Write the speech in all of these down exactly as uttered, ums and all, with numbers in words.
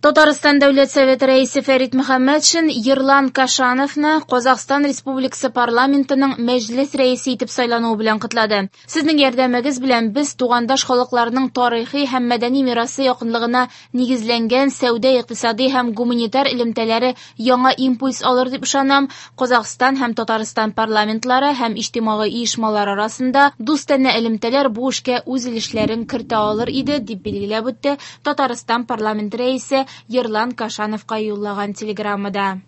Татарстан Дәүләт Советы рәисе Фәрит Мөхәммәтшин Ерлан Кашановны Казахстан Республикасы парламентының Мәҗлес рәисе итеп сайлануы белән котлады. Сезнең ярдәмегез белән без тугандаш халыкларның тарихи һәм мәдәни мирасы якынлыгына нигезләнгән сәүдә-икътисади һәм гуманитар элемтәләре яңа импульс алыр дип ышанам. Казахстан һәм Татарстан парламентлары һәм иҗтимагый оешмалар арасында дустанә элемтәләр бу эшкә үз өлешләрен кертә алыр иде, дип билгеләп үтте Татарстан парламенты рәисе Ерлан Кашановка юллаган телеграммада.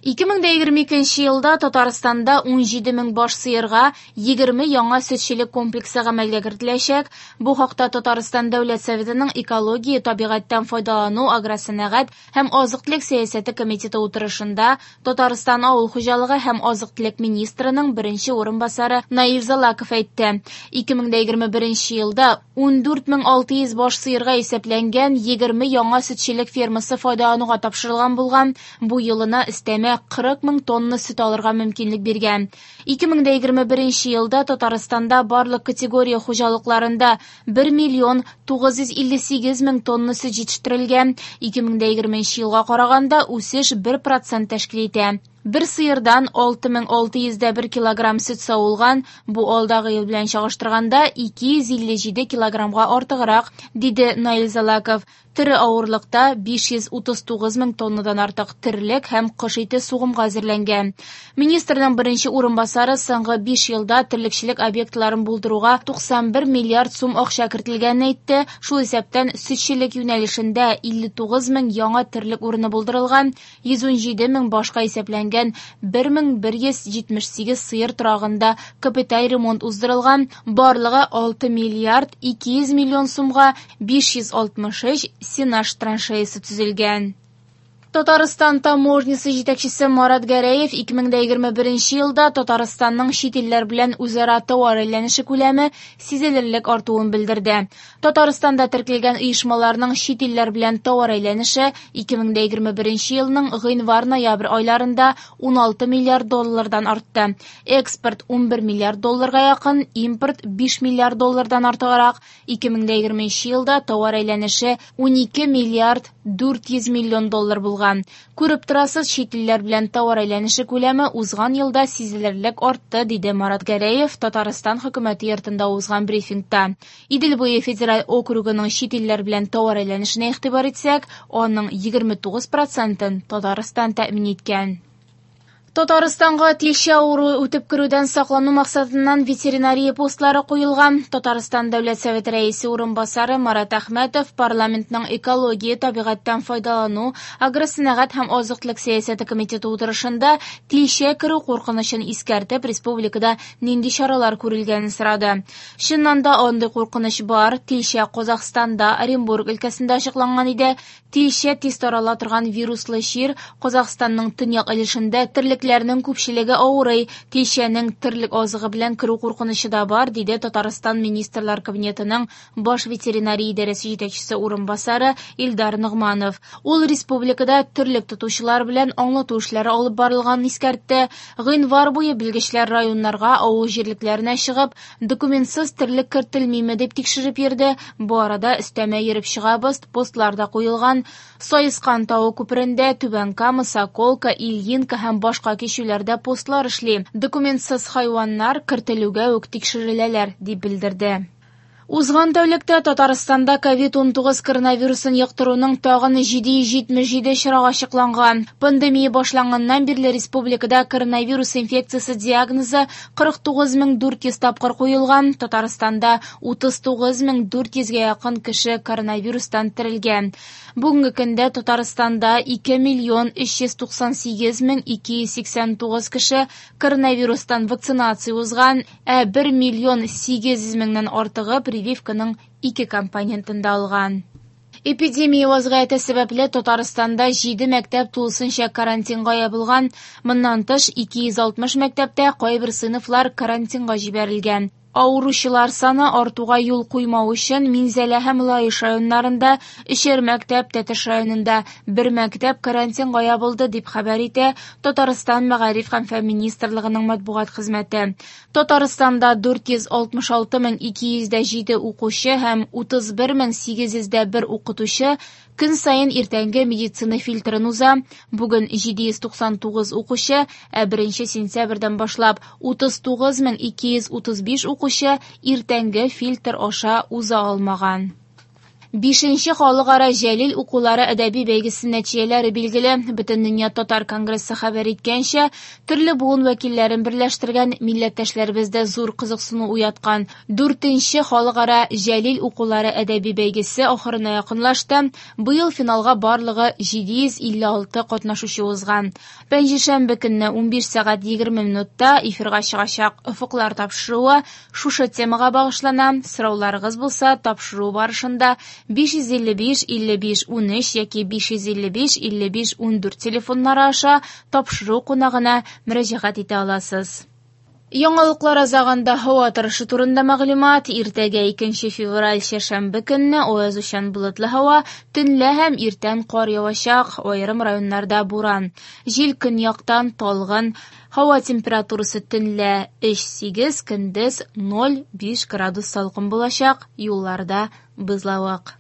ике мең дә егерме икенче елда Татарстанда ун җиде мең баш сыерга егерме яңа сөтчелек комплексы гамәлгә кертеләчәк. Бу хакта Татарстан Дәүләт Советының экология, табигатьтән файдалану, агросәнәгать һәм азык-төлек сәясәте комитеты утырышында Татарстан авыл хуҗалыгы һәм азык-төлек министрының беренче урынбасары Наил Залаков әйтте. ике мең дә егерме беренче елда ун дүрт мең алты йөз баш сыерга исәпләнгән егерме яңа сөтчелек фермасы файдалануга тапшырылган булган. Бу елына өстәмә кырык мең тонна сөт алырга мөмкинлек биргән. ике мең дә егерме беренче елда Татарстанда барлык категория хуҗалыкларында бер миллион тугыз йөз илле сигез мең тонна сөт җитештерелгән. ике мең дә егерменче елга караганда үсеш бер процент тәшкил итә. Бер сыердан алты мең алты йөз дә бер килограмм сөт савылган, бу алдагы ел белән чагыштырганда ике йөз илле җиде килограммга артыграк, диде Наил Залаков. Тере авырлыкта биш йөз утыз тугыз мең тоннадан артык терлек һәм кош ите сугымга әзерләнгән. Министрның беренче урынбасары соңгы биш елда терлекчелек объектларын булдыруга туксан бер миллиард сум акча кертелгәнен әйтте. Шул исәптән сөтчелек юнәлешендә илле тугыз мең яңа терлек урыны булдырылган, йөз ун җиде мең башка исәпләнгән бер мең бер йөз җитмеш сигез сыер торагында капиталь ремонт уздырылган, барлыгы алты миллиард ике йөз миллион сумга биш йөз алтмыш өч сенаж траншеясы төзелгән. Татарстан таможнясы җитәкчесе Марат Гәрәев ике мең дә егерме беренче елда Татарстанның чит илләр белән үзара товар әйләнеше күләме сизелерлек артуын белдерде. Татарстанда теркәлгән оешмаларның чит илләр белән товар әйләнеше ике мең дә егерме беренче елның гыйнвар-ноябрь айларында ун алты миллиард доллардан артты. Экспорт ун бер миллиард долларга якын, импорт биш миллиард доллардан артыграк. Ике мең дә егерменче елда товар әйләнеше ун ике миллиард дүрт йөз миллион доллар булган. Күреп торасыз, чит илләр белән товар әйләнеше күләме узган елда сизелерлек артты, диде Марат Гәрәев Татарстан хөкүмәте йортында узган брифингта. Идел буе федераль округының чит илләр белән товар әйләнешенә игътибар итсәк, аның егерме тугыз процентын Татарстан тәэмин иткән. Татарстанга тилчә авыруы үтеп керүдән саклану максатыннан ветеринария постлары куелган. Татарстан Дәүләт Советы рәисе урынбасары Марат Әхмәтов парламентның экология, табигатьтән файдалану, агросәнәгать һәм азык-төлек сәясәте комитеты утырышында тилчә керү куркынычын искәртеп, республикада нинди чаралар күрелгәнен сорады. Чыннан да андый куркыныч бар. Тилчә Казахстанда, Оренбург өлкәсендә ачыкланган иде. Тилчә тиз тарала торган вируслы чир Казахстанның төньяк өлешендә терлекләрнең күпчелеге авырый. Тилчәнең терлек азыгы белән керү куркынычы да бар, диде Татарстан Министрлар Кабинетының баш ветеринария идарәсе җитәкчесе урынбасары Илдар Ногманов. Ул республикада терлек тотучылар белән аңлату эшләре алып барылганын искәртте. Гыйнвар буе белгечләр районнарга, авыл җирлекләренә чыгып, документсыз терлек кертелмиме дип тикшереп йөрде. Бу арада өстәмә йөреп чыгабыз, постларда куелган Саескан тавы күперендә, Түбән Кама, Соколка, Ильинка һәм башка кичүләрдә постлар эшли. Документсыз хайваннар кертелүгә үк тикшереләләр, дип белдерде. Узган тәүлектә Татарстанда ковид ун тугыз коронавирусын йоктыруның тагын җиде йөз җитмеш җиде очрагы ачыкланган. Пандемия башланганнан бирле республикада коронавирус инфекциясе диагнозы кырык тугыз мең дүрт йөз тапкыр куелган. Татарстанда утыз тугыз мең дүрт йөзгә якын кеше коронавирустан терелгән. Бүгенге көндә Татарстанда ике миллион өч йөз туксан сигез мең ике йөз сиксән тугыз кеше коронавирустан вакцинация узган, ә бер миллион сигез йөз меңнән артыгы прививканың ике компонентын да алган. Эпидемия вазгыяте сәбәпле Татарстанда җиде мәктәп тулысынча карантинга ябылган. Моннан тыш ике йөз алтмыш мәктәптә кайбер сыйныфлар карантинга җибәрелгән. Авыручылар саны артуга юл куймау өчен Минзәлә һәм Лаеш районнарында өчәр мәктәп, Тәтеш районында бер мәктәп карантинга ябылды, дип хәбәр итә Татарстан Мәгариф һәм фән министрлыгының матбугат хезмәте. Татарстанда дүрт йөз алтмыш алты мең ике йөз дә җиде укучы һәм утыз бер мең сигез йөз дә бер укытучы көн саен иртәнге медицина фильтрын уза. Бүген җиде йөз туксан тугыз укучы, ә беренче сентябрьдән башлап утыз тугыз мең ике йөз утыз биш укучы иртәнге фильтр аша уза алмаган. Бишенче халыкара Җәлил укулары әдәби бәйгесе нәтиҗәләре билгеле. Бөтендөнья татар конгрессы хәбәр иткәнчә, төрле буын вәкилләрен берләштергән милләттәшләребездә зур кызыксыну уяткан дүртенче халыкара Җәлил укулары әдәби бәйгесе ахырына якынлашты. Быел финалга барлыгы җиде йөз илле алты катнашучы узган. Пәнҗешәмбе көнне унбиш сәгать егерме минутта эфирга чыгачак Офыклар тапшыруы шушы темага багышлана. Сорауларыгыз булса, тапшыру барышында биш йөз илле биш илле биш унөч яки биш йөз илле биш илле биш ундүрт телефоннары аша тапшыру кунагына мөрәҗәгать итә аласыз. Яңалыклар азагында һава торышы турында мәгълүмат. Иртәгә икенче февраль чәршәмбе көнне аязучан болытлы һава, төнлә һәм иртән кар явачак, аерым районнарда буран. Җил көньяктан талгын. Һава температурасы төнлә өч сигез, көндез ноль биш градус салкын булачак, юлларда бозлавык.